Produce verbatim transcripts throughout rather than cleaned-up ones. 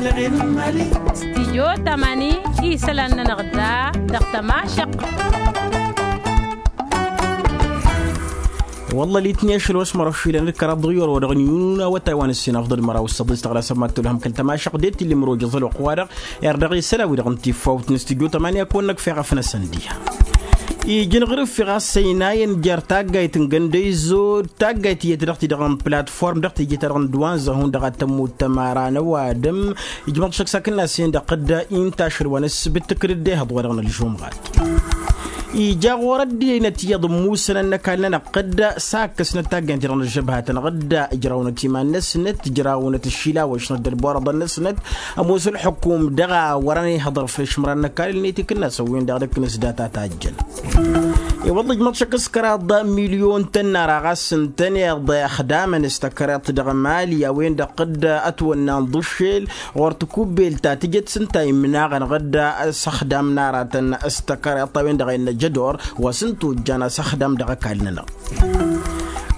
Stijyo tamani isălan-nănăɣ da dăɣ-tămašăq. Wălla litniya ašăl wa s-măraw šilăn d-kăraḍ dăɣ-yoro dăɣ-niyun awătay wa n-ǝssin afḍăl măraw s-săḍis tăɣlasăm ma t-tǝlhăm kăl-tămašăq d-e t-illa imroj ăẓăl wa qwarăɣ. Irdaɣ isălan wi-dăɣ n-tifawt n-stijyo tamani a kăwăn-năkf eɣăf n-asăn diha. Ijăn ɣur-ǝffi ɣas ăynayăn jer-taggayt n-găndăyzo d-taggayt iyyăt dăɣ-ti-dăɣ n-platform dăɣ-teje-ta-dăɣ n-dd-wa n-zăhun dăɣ-ad-tămmut tămara n-ăwadǝm. Ijmăḍ šăkk s-akǝnnas-en-dăɣ dd-inta ašăl wa n-ǝssǝbǝt tǝkrǝd ehăḍ-wa-dăɣ n-ălžumɣat. Ija ɣur-ăddinăt iyyăḍ ǝmmusăn ănnăkall-nănăɣ dd-sakkăsnăt taggaynt-i-dăɣ n-ălžăbhatăn ɣǝdda ǝjrawnăt iman-năsnăt ǝjrawnăt ǝššilawăšnăt d-ălborăḍăn-năsnăt. Ămoos ălxukum dăɣ-a wărăn ihăḍăr făll-išmăra n-ăkall-net ikǝnnas ăwwen-dăɣ d-ǝkkǝnǝs data tajjăn. I-wălla ǝjmăḍ šăkk s-kăraḍ milyon tănnara ɣas ǝntăneḍ ăxdamăn s-tăkreḍt dăɣ-mali a-wen-dăɣ dd-ătwănna n-iḍǝššel ɣur-tikubbelt ta tǝjăt s-ǝnta imnaɣăn ɣǝdda s-ăxdam n-aratăn s-tăkreḍt a-wen-dăɣ a innă jădor wa s-ǝnta ojjan asăxdam dăɣ-ăkall-nănăɣ.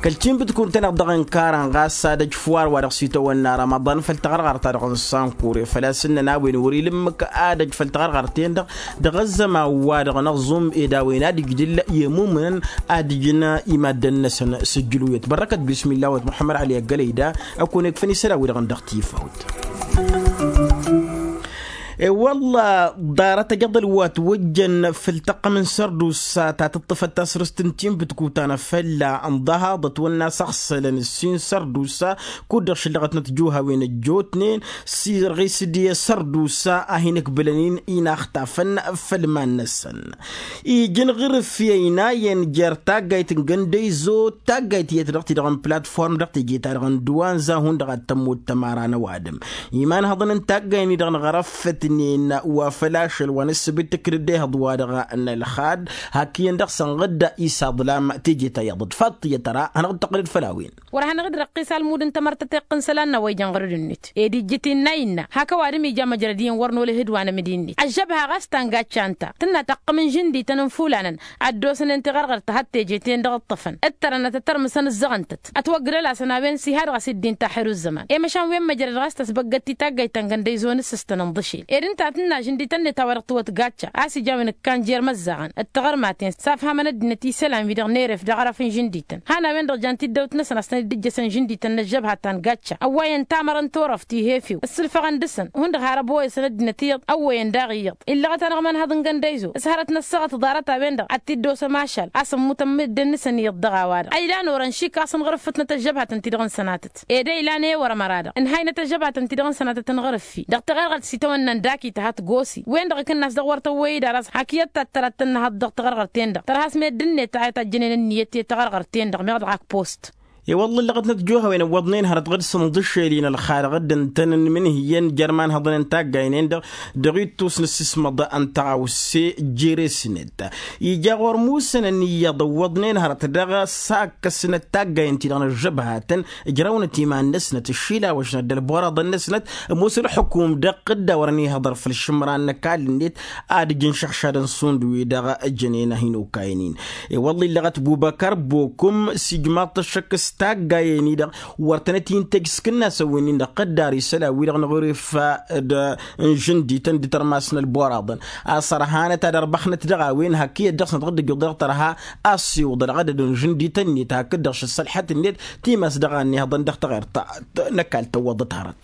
Kăl-tinbǝtkun-tăn-dăɣ ǝnkarăn ɣas ad-ăj făw ar wa dăɣ-s itawănna rămăḍan făll-taɣărɣart-ta-dăɣ n-sankur i-făl-a-s ǝnnăn a-wen wăr-ila ǝmmǝk ad-ăj făll-taɣărɣart-ten-dăɣ dăɣ-ăzzăman-wa-dăɣ n-ăẓum ed a-wen ad-ǝjdǝl i-ămumǝnăn ad-ǝjǝn i-maddǝn-năsăn s-ǝjjǝluyăt bărrăkăt bismilla-wăt muḥămmăd ali ăggălăy da. Ăkon ekfăn isălan-wi-dăɣ n-dăɣ-tifawt. E-wălla ḍarăt ăjăḍăl wa ătwăjjăn făll-tăqqăm n-sărdusa ta tǝṭṭǝfăt tasrǝst n-tinbǝtkuta n-afălla ǝnḍăhaḍ ătwănna s-ăɣsălăn ǝssin sărdusa kud-dăɣ šǝllăɣătnăt juhawen ăjjootnen s-irɣis d-i-sărdusa a hin-ǝkbǝlăn-in inaxtafăn făll-iman-năsăn. Ijăn ɣur-ǝffi ăynayăn jer-taggayt n-găndăyzo d-taggayt iyyăt dăɣ-ti-dăɣ n-platform dăɣ-teje-ta-dăɣ n-dd-wa n-zahun dăɣ-ad-tămmut tămara n-ăwadǝm. Imanhăḍăn n-taggay-ni-dăɣ n-ɣărăffătnen wa făl ašăl wa n-ǝssǝbǝt tǝkrǝd ehăḍ-wa-dăɣ n-ălxad hak iyyăn dăɣ-săn ɣǝdda isaḍlam teje-ta iyyăḍ d-faḍt iyyăt tăra hanăɣ-dd-tăqqǝlăd făll-a-wen. Wăr-hanăɣ-dd răqqis almud n-tamărtăt iqqǝn isălan n-a-wa ijăn ɣur-dd-net ed ijjǝt innă innă hak ăwadǝm ija măjrăd iyyăn wăr nolăh d-wa n-amǝdi-net ăžžăbha ɣas ta n-gacca ǝnta tǝnna taqqǝm n-žǝndităn n-fulanăn ad-dd-osnen tiɣărɣărt ta had-teje-ten-dăɣ ǝṭṭăfăn ǝttărănăt ătărmǝsăn ǝzzăɣăn-tăt ătwăggǝlăl-asăn a-wen s-iha dăɣ-s dd-inta ăḥirǝzzăman i-măšan wen măjrăd ɣas tăsbăggăt-t i-taggayt ta n-găndăyzo n-ǝssǝstăn ǝnḍǝšel ed ǝnta a tǝnna žǝndităn-net a-wa dăɣ-tǝwăt gacca a-s ija a-wen ǝkkan jer-imăzzaɣăn d-tiɣărmaten s-afhamăn ăddinăt isălan-wi-dăɣ n-eref dăɣ-arăf n-žǝndităn han a-wen-dăɣ jan tiddawt-năsăn a-s tăn-dd-ǝjjăsăn žǝndităn n-ăžžăbha ta n-gacca ăwwayăn tamărăn turăft ih'-efew ǝssǝlfăɣăn dăɣ-săn hundăɣ har ăboyăsăn ăddinăt iyyăḍ ăwwăyăn daɣ iyyăḍ illăɣăt-anăɣ imanhăḍ n-găndăyzo s-hărăt năssăɣăt ḍarăt-a-wen-dăɣ ad-t-dd-osăm ašal a-s ămmutăn mǝddǝn-nǝsăn iyyăḍ dăɣ-a-wa-dăɣ a ilan orăn šik a-s ănɣărǝffǝtnăt ăžžăbhatăn-ti-dăɣ n-sănatăt ed a ilan ewăr ămăra-dăɣ ǝnhaynăt ăžžăbhatăn-ti-dăɣ n-sănatăt ănɣărǝffi dăɣ-tiɣărɣărt s-itawănna n-dakit ad-t-gosi wen-dăɣ ǝkǝnnas dăɣ-wăr tăwwăy-dd aras hak iyyăt ta t-tăra t-tănnăhăḍ dăɣ-tiɣărɣărt-ten-dăɣ tărha a-s meddǝn-net a ităjjănen ǝnniyăt i-tiɣărɣărt-ten-dăɣ meɣ dăɣ-ak post. I-wălla ǝllăɣătnăt juhăwen ǝwwăḍnen hărăt ɣǝd-săn ḍǝššel-in ălxarăɣ dd-ǝntănăn imǝnhǝyyăn jer-imanhăḍăn n-taggayen-en-dăɣ dăɣ-ittus n-ǝssǝsmăḍ n-taɣawse jere-snet. Ija ɣur-musănăn iyyăḍ ǝwwăḍnen hărăt dăɣ-sakkăsnăt taggayen-ti-dăɣ n-ăžžăbhatăn ǝjrăwnăt iman-năsnăt ǝššilawăšnăt d-ălburaḍăn-năsnăt ămoos ălxukum dăɣ-t dd-a wărăn ihăḍăr făll-išǝmran n-ăkall-net ad-ǝjǝn šăɣšadăn šund wi-dăɣ ǝjănen a hin-okayăn-in. I-wălla illăɣăt bubăkăr bokum s-ijmaḍ-t ăššăk s-taggayen-i-dăɣ wăr tănăt-in-tăj s-kǝnnasăn wi-nin-dăɣ tăddar isălan-wi-dăɣ n-ɣur-ifa d-inžǝndităn d-itărmas n-ălburaḍăn a-s ărhanăt ad-ărbăxnăt dăɣ-a-wen hak iyyăt dăɣ-snăt ɣǝddǝjjuḍ dăɣ-tărha a-s iwǝḍăl ɣădăd n-žǝndităn-net hakd-dăɣ šăssălḥăt-net timas dăɣ-a ănnihăḍăn dăɣ-taɣert n-ăkall tăwwăḍăt hărăt.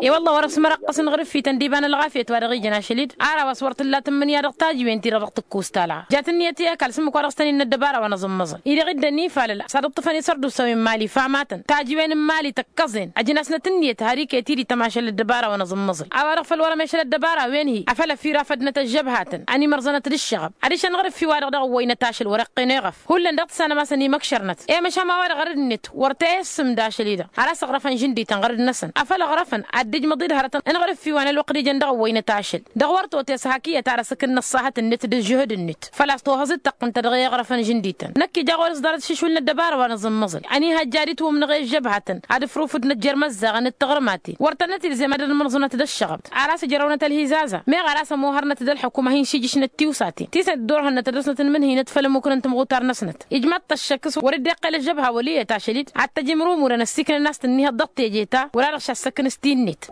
I-wălla wăr-ăf s-mărăqqăs n-ɣur-ǝffităn d-iba n-ălɣafyăt wa dăɣ-ijăn ašăl-dd ar a-wa s-wăr tǝlla tǝmmǝnǝya dăɣ-tajǝwen-ti-dăɣ dăɣ-tǝkkus talɣa jat ǝnniyăt i-ăkall s-ǝmmǝk wa dăɣ-s tăn-innă ăddăbara wa n-aẓǝmmăẓǝl-i-dăɣ dd-ănifalăl s-ad-ǝṭṭǝfăn isărdusawen n-imali famatăn tajǝwen n-imali tăkkăẓen ăjnasnăt ǝnniyăt har iket-i d-ităm ašăl ăddăbara wa n-aẓǝmmăẓǝl a-wa dăɣ-făl wăr-ămešăl ăddăbara a-wen-hi afăl ăfirafădnăt ăžžăbhatăn ănimărẓănăt d-ǝššăɣăb adiš ănɣăr-ǝffi-wa-dăɣ dăɣ-ăwwăynăt ašăl wăr-iqqen eɣăf hullan dăɣ-tǝssanăm a-s ănimăkšărnăt i-măšan ma-wa-dăɣ ărăd-net wăr t-e-ǝssǝm d-ašăl-i-dăɣ har a-s ăɣrăfăn žǝndităn ɣărăd-năsăn afăl ăɣrăfăn ad-dd-ǝjmăḍ-dd hărătăn ănɣăr-ǝffi wa n-ălwăqq d-ijăn dăɣ-ăwwăynăt ašăl dăɣ-wăr totes hak iyyăt ar ăsǝkǝn n-ăṣṣahăt-net d-ǝžžǝhǝd-net făl-a-s tohăẓ d-tăqqǝn-tăt dăɣ-e iɣrăfăn žǝndităn năkk ija ɣur-s ḍarăt šǝšul n-ăddăbara wa n-aẓǝmmăẓǝl ăniihăjja ad-itwǝmnăɣ i-ăžžăbhatăn ad-ǝfrufǝdnăt jer-imăzzaɣăn d-tiɣrǝmaten wăr tănnăt ilzem ad-ălmărẓǝnăt d-ăššăɣăb ar a-s ǝjrăwnăt ălhizaza meɣ ar a-s ămohărnăt d-ălxukum a hin-šijǝšnăt tiwsaten ti s-ăddorhănnăt ad-dăr-snăt ǝnmǝnhǝynăt făll-ămmukăn n-timɣutar-năsnăt ijmaḍ-t ăššăk s-wăr dd-iqqel ăžžăbha wăl' iyyăt ašăl-dd ad-t-ăj imrumurăn ăssiiknăn a-s tǝnnihăḍ dăɣ-teje ta wăla-dăɣ šassăkăn s-ti-net.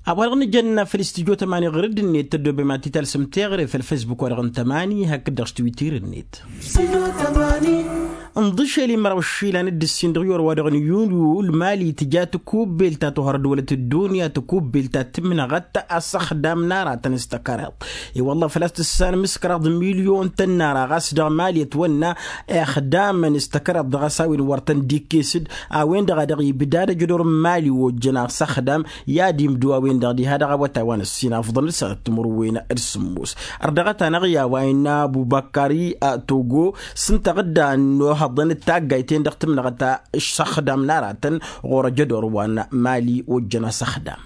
A-wa-dăɣ nǝjănna făll-istudyo tămani ɣur-dd-net tăddoobem ad-t-talsăm teɣăre făll-fesbuk-wa-dăɣ n-tămani hakd-dăɣ s-twitter-net. Nḍǝšel i-măraw išilan d-ǝssin dăɣ-iwăr-wa-dăɣ n-yunyu ǝlmali tǝja tăkubbelt ta tohărăd wălăt ăddunya tăkubbelt ta tǝmnăɣăt asăxdam n-aratăn s-tăkăreḍ. I-wălla făl-a-s tǝssanăm s-kăraḍ milyon tănnara ɣas dăɣ-mali ătwănna ixdamăn s-tăkăreḍ dăɣ-a-s a-wen wăr tăn-dd-ikkes-dd a-wen-dăɣ a dăɣ-ibda ad-ăjădor n-mali ojjăn asăxdam i-ad-imdǝw a-wen-dăɣ diha dăɣ-awătay wa n-ǝssin afḍăn d-sănat timǝrwen d-sǝmmos. Ărdăɣăt-anăɣ i-a-wa innă abubăkari togo s-ǝnta ɣǝdda n-ohăḍăn d-taggayt-en-dăɣ tǝmnăɣăt asăxdam n-aratăn ɣur-ăjădor wa n-mali ojjăn asăxdam.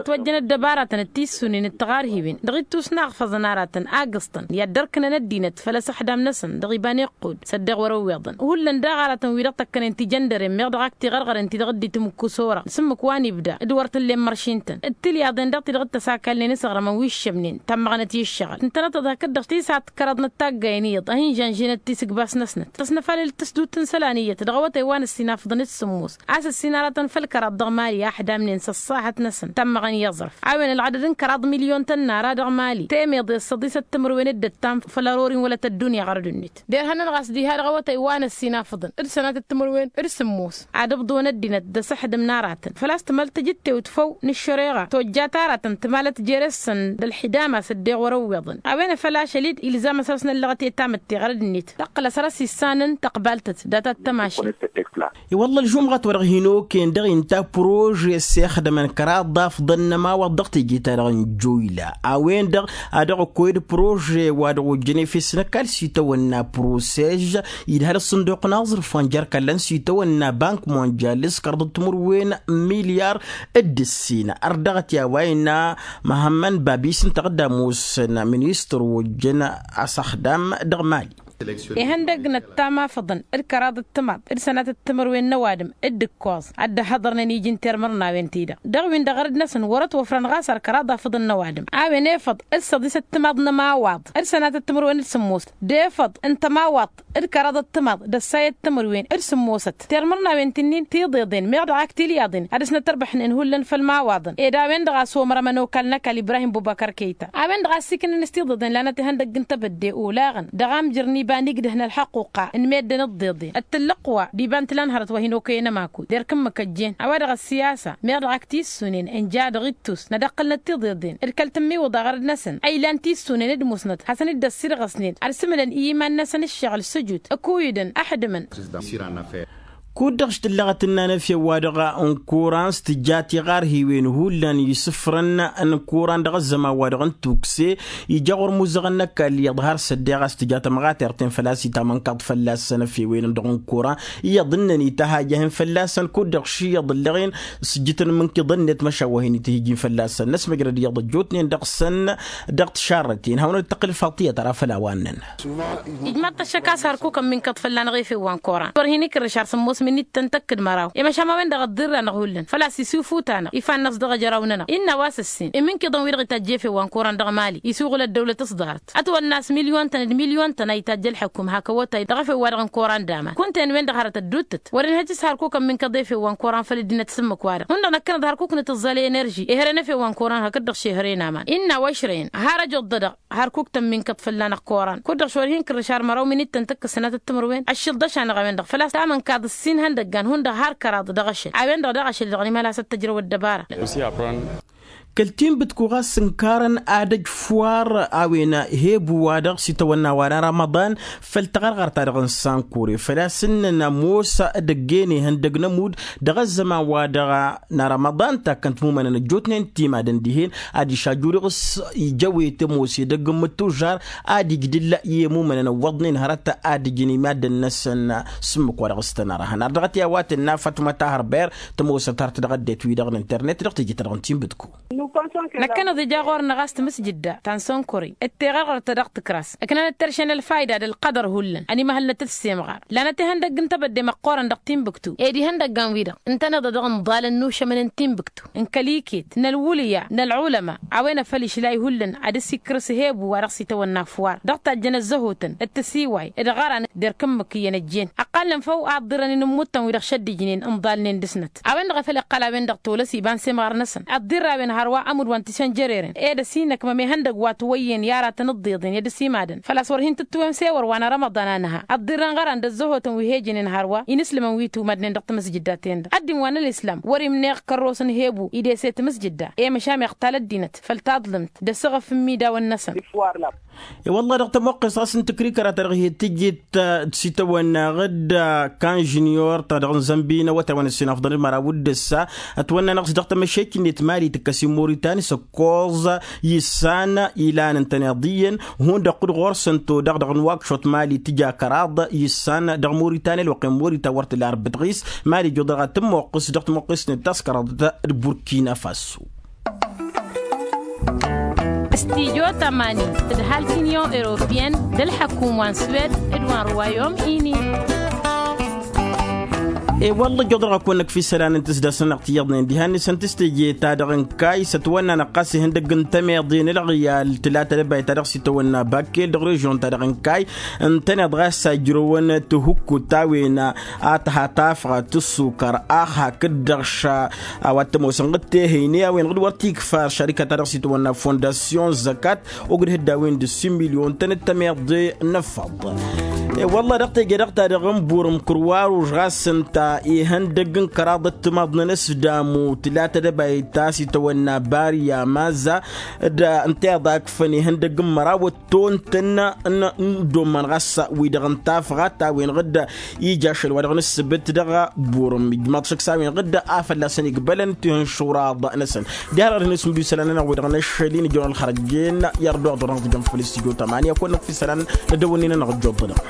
Ătwăjjăn ăddăbaratăn d-tissunen d-tiɣarhiwen dăɣ-ittus n-aɣfăẓăn aratăn agǝẓtăn i-ad-dd-ărkǝnăn ăddinăt făll-asăxdam-năsăn dăɣ-iba n-iqqud s-ăddeɣ wăr-ăwweḍăn hullan daɣ aratăn-wi-dăɣ tăkkănen tijăndăren meɣ dăɣ-ak tiɣărɣăren ti-dăɣ dd-itǝmǝkkus ora s-ǝmmǝk wa n-ibda d-wăr t-ǝllen măršin-tăn d-tilyaḍen daɣ ti-dăɣ dd-tăsakalnen s-aɣrămăn wi ǝššămnen tammăɣnăt i-ǝššăɣǝl ǝntănăt-ăḍhakăt dăɣ-tisat kăraḍ n-ăttaggayăn iyyăḍ a hin-žănžinăt tisǝgbas-năsnăt tăsnăfalăl tǝsdut n-isălan iyyăt dăɣ-awătay wa n-ǝssin afḍăn d-sǝmmos a-s ǝssin aratăn făll-kăraḍ dăɣ-mali a ăḥdamnen s-ăṣṣaḥăt-năsăn tammăɣăn i-aẓrăf a-wen ălɣadăd n-kăraḍ milyon tănnara dăɣ-mali temeḍe s-săḍisăt timǝrwen d-ǝttam făll-ăror-in wălăt ăddunya ɣărăd-net derhănăn ɣas diha dăɣ-awătay wa n-ăssinafăḍăn d-sănatăt timǝrwen d-sǝmmos ad-ǝbḍǝwăn ăddinăt d-asǝḥdǝm n-aratăn făl-a-s tǝmăl tǝjǝttewt făw n-ăššăreɣa tojjat aratăn tǝmalăt jere-săn d-ălḥidama s-ăddeɣ wăr-ăwweḍăn a-wen a făl ašăl-dd ilzam a săr-s năllăɣăt i-tamǝtte ɣărăd-net tăqqǝl a săr-s issanăn tăqbaltăt dat-ad-tămašit. I-wălla ălžumɣăt wa dăɣ-hin-okăyăn dăɣ-inta prože s-ixdămăn kăraḍ d-afḍăn n-ămawaḍ dăɣ-teje-ta-dăɣ n-joyla a-wen-dăɣ a dăɣ-ăkkoyăd prože wa dăɣ-ojjăn efes n-ăkall s-itawănna prosež idhăl ăṣṣǝnduq n-aẓrǝf wa n-jer-kăllăn s-itawănna bank monjal s-kăraḍ d-timǝrwen n-milyar d-ǝssin ărdăɣăt i-a-wa innă măhămmăn babis ǝnta a dd-ămoosăn ministăr ojjăn asăxdam dăɣ-mali. Ihăndăg n-ăttam afăḍăn d-kăraḍ d-timaḍ d-sănatăt timǝrwen n-ăwadǝm d-ǝkkoẓ a dd-ăhhăḍărnen iji n-termărnawen-ti-dăɣ dăɣ-win-dăɣ ărăd-năsăn wăr-ătwăfrăn ɣas ar kăraḍ afăḍăn n-ăwadǝm a-wen efăḍ d-săḍisăt timaḍ n-ămawaḍ d-sănatăt timǝrwen d-sǝmmos d-efăḍ n-tămawaḍt d-kăraḍăt timaḍ d-ăssayăt timǝrwen d-sǝmmosăt termărnawen ti-nin tiḍeḍen meɣ dăɣ-ak tilyaḍen ad-dăɣ-s nătărbăḥnen hullan făll-imawaḍăn ed a-wen-dăɣ a somărămăn okal n-ăkall ibrahim bubăkăr kăyta a-wen-dăɣ a ăssiiknăn s-tiḍeḍen lanăt ihăndăgg n-tebădde olaɣăn dăɣ-amjăr n-iba n-igdăh n-ălḥăqquqa n-meddǝn ǝḍḍeḍen d-tǝllǝqwa d-iba n-tǝla n-hărăt wa hin-okăyăn ămakud derk ǝmmǝk ăjjeen a-wa-dăɣ ăssiyasa meɣ dăɣ-ak tissunen ǝnja dăɣ-ittus nădăqqǝlnăt tiḍeḍen d-kăl-tǝmmiwǝḍa ɣărăd-năsăn a ilan tissunen d-musnăt hasăn-dd-ăssirɣăsnen ad-sǝmǝlăn i-iman-năsăn ǝššăɣǝl s-ǝjut ăkuyǝdăn ăḥdǝmăn. Kud-dăɣ š-tǝllăɣăt ǝnnan efew-wa-dăɣ n-kuran s-tǝja tiɣarhiwen hullan isǝfrăn n-kuran dăɣ-ăzzăman-wa-dăɣ n-tukse ija ɣur-imuzăɣăn n-ăkall iyyăḍ har s-ăddeɣ a-s tǝja tămɣatert-en făl-a-s itamănkaḍ fălla-săn efewen-dăɣ n-kuran iyyăḍ ǝnnăn ităhajăhăn fălla-săn kud-dăɣ š-iyyăḍ ǝlleɣ-in s-ǝjjǝtăn imǝnkǝḍăn-net măšan wa hin-itǝhǝj-in fălla-săn n-ăsmăjrăd iyyăḍ ăjjootnen dăɣ-săn dăɣ-tišarrăt-in hawăn-dd-tăqqǝl faḍt iyyăt ara făll-a-wa ǝnnăn. Ijmaḍ-t ăššăk a-s hărkuk ămminkăḍ fălla-năɣ efew wa n-koran wăr hin-ikrǝš ar sǝmmos min-ittăn tăkk d-măraw i-măšan ma-wen-dăɣ ăḍḍirra-năɣ hullan făl-a-s isufuta-năɣ ifan-năs dăɣ-ejăraw-nănăɣ innă a-wa s-ǝssin imǝnkǝḍăn-wi-dăɣ itajj efew wa n-koran dăɣ-mali isuɣǝl ăddăwlăt s-ḍarăt ătwănna a-s milyon-tăn d-milyon-tăn a itajj ălḥăkum hak awătay dăɣ-efew-wa-dăɣ n-koran d-aman kunta-en-wen-dăɣ hărăt ădduuttăt wăren hăjj s-hărkuk ămminkăḍ efew wa n-koran făll-ăddinăt s-ǝmmǝk-wa-dăɣ hundăɣ năkkănăt hărkuk n-tǝẓẓal enerži ehărăn efew wa n-koran hakd-dăɣ šehăre n-aman innă a-wa ǝšrăyăn har ăjoḍ-dădăɣ hărkuk tămminkăḍ fălla-năɣ koran kud-dăɣ šor hin-kǝrrǝš ar măraw min-ittăn tǝkkǝs sănatăt timǝrwen ăššǝlḍăš-anăɣ a-wen-dăɣ făl-a-s tamănkaḍ ǝssin ihăndăggan hundăɣ har kăraḍ dăɣ-ašăl a-wen-dăɣ daɣ ašăl-i-dăɣ n-imhăl a-s ăttăjrăw ăddăbara. Kăl-tinbǝtku ɣas ǝnkarăn ad-ăj fwar a-wen hebu-wa-dăɣ s-itawănna wa n-arămăḍan făll-taɣărɣărt-ta-dăɣ n-sankure făl-a-s ǝnnăn ămoos ad-ăggen ihăndăg n-ămudd dăɣ-ăzzăman-wa-dăɣ n-arămăḍan takkăn timumănăn ăjjootnen timadăn dihen ad-išajju dăɣ-s ija ăwet ămoos edăgg n-imǝttužžar ad-ijj d-ǝlla i-imumănăn ăwwăḍnen hărăt ad-ǝjǝn i-maddǝn-năsăn s-ǝmmǝk wa dăɣ-s tăn-ărhăn ar dăɣ-t i-a-wa tǝnna fatma tahăr ber tămoosăt har tǝdɣăddet-wi-dăɣ n-internet dăɣ-teje-ta-dăɣ n-tinbǝtku. Năkkăneḍ ija ɣur-năɣ a-s tamǝsjǝdda ta n-sănkăre d-teɣărɣărt ta dăɣ-tǝkras ǝknanăt terše n-ălfayda d-ălqădăr hullan ănimăhălnăt d-semɣar. Lanăt ihăndăgg n-tebădde măqqoorăn dăɣ-tinbǝktu ed ihăndăggan-wi-dăɣ ǝntăneḍ-a-dăɣ ǝnḍalăn n-ušămăn n-tinbǝktu n-kăl-iket n-ălwǝlǝya n-ălɣulăma. A-wen afăl išlay hullan ad-ăsikkrǝs hebu wa dăɣ-s itawănna afwar dăɣ-tajjăn ăzzăhotăn d-tisiway d-ɣăran d-erk ǝmmǝk iyyăn ăjjeen. Ăqqalnen făw a ǝḍḍirrăn inǝmmut-tăn wi-dăɣ šăddǝjnen ǝnḍalnen dăr-snăt. A-wen-dăɣ a făl iqqăl a-wen-dăɣ tolăs iba n-semɣar-năsăn ăḍḍirrawen hărwa ămudd wa n-tisăn jăreren ed ăsinăkmăm ihăndăgg wa tǝwăyyen i-aratăn ǝḍḍeḍen i-ad-ăsimadăn făl-a-s wăr hin-tǝttǝwem s-ewăr wa n-arămăḍan a nǝha. Ăḍḍirrăn ɣăran d-ăzzăhotăn wi hejănen hărwa inǝslǝmăn wi tumădnen dăɣ-tamǝsjǝdda-ten-dăɣ ăddin wa n-ălislam wăr-imneɣ kărros n-hebu idese tamǝsjǝdda i-măšan iɣtal ăddinăt făll-taḍlǝmt d-asǝɣǝf n-imidawăn-năsăn. I-wălla dăɣ-tămoqqes ɣas n-tǝkrikăra ta dăɣ-hi-tǝjjit d-sitawănna ɣǝdda kan žuniyor ta dăɣ-nǝzănbi n-awătay wa n-ăssin afḍăn d-măraw d-ǝssa ătwănna-năɣ s-dăɣ-tămăššek-net mali tǝkkăs i-moritan s-ǝkkoẓ. Issan ilan ǝntăneḍ iyyăn hundăɣ kud ɣur-săn todăɣ dăɣ-nǝwakšot mali tǝja kăraḍ issan dăɣ-moritan ălwăqq i-morita wăr tǝla arbǝt ɣis. Mali ǝjjuḍăɣ ad-tămoqqes dăɣ-tămoqqes-net ta s-kăraḍ d-burkina faso. Studyo tămani tǝdhal tinyon europiyăn d-ălḥăkum wa n-swed d-wa n-ruwayom ini. I-wălla ǝjjuḍăɣ ad-kăwăn-năkf isălan n-tǝsdasăn-năɣ tiyyăḍnen diha-net săn tǝstǝje ta dăɣ-inkay s-ătwănna-năɣ ɣas ihăndăgg n-tămeḍe n-ălɣiyal tǝla tălăbayt ta dăɣ-s itawănna bakkel dăɣ-režion ta dăɣ-inkay. Ǝntăneḍ ɣas a ǝjrăwăn tǝhǝkkut ta-wen a tǝhatafăɣ tǝssukăr ax hakd-dăɣ ša a-wa t-ămoosăn ɣǝd tehăyne a-wen ɣǝd wăr t-ikfa ăššărika ta dăɣ-s itwănna fondasyon zăkat. Ogdăh dd-a-wen d-ǝssin milyon-tăn d-tămeḍe n-ǝffăḍ. I-wălla dăɣ-teje-dăɣ ta dăɣ-n burǝm kǝrwaruž ɣas ǝnta ihăndăgg n-kăraḍ d-timaḍ n-anăsdamu tǝla tădăbayt ta s-itwănna bariya maza d-ǝnta iḍakfăn ihăndăgg n-măraw ătton-tăn n-dd-ommăn ɣas wi-dăɣ n-tafɣat a-wen ɣǝd ija ašăl wa dăɣ-nǝssǝbǝt dăɣ-burǝm ijmaḍ šăkk s-a-wen ɣǝd a fălla-săn igbălăn tihǝnšuraḍ-năsăn. Diha-dăɣ dăɣ-nǝsǝmdu isălan-nănăɣ wi-dăɣ năššăl-in ijăwăn ălxărăjjen i-ărduɣ dăɣ-năɣ tǝjjăm făll-studyo tămani a kăwăn-năkf isălan n-ăddăwănnin-nănăɣ ăjjoḍ-dăɣ.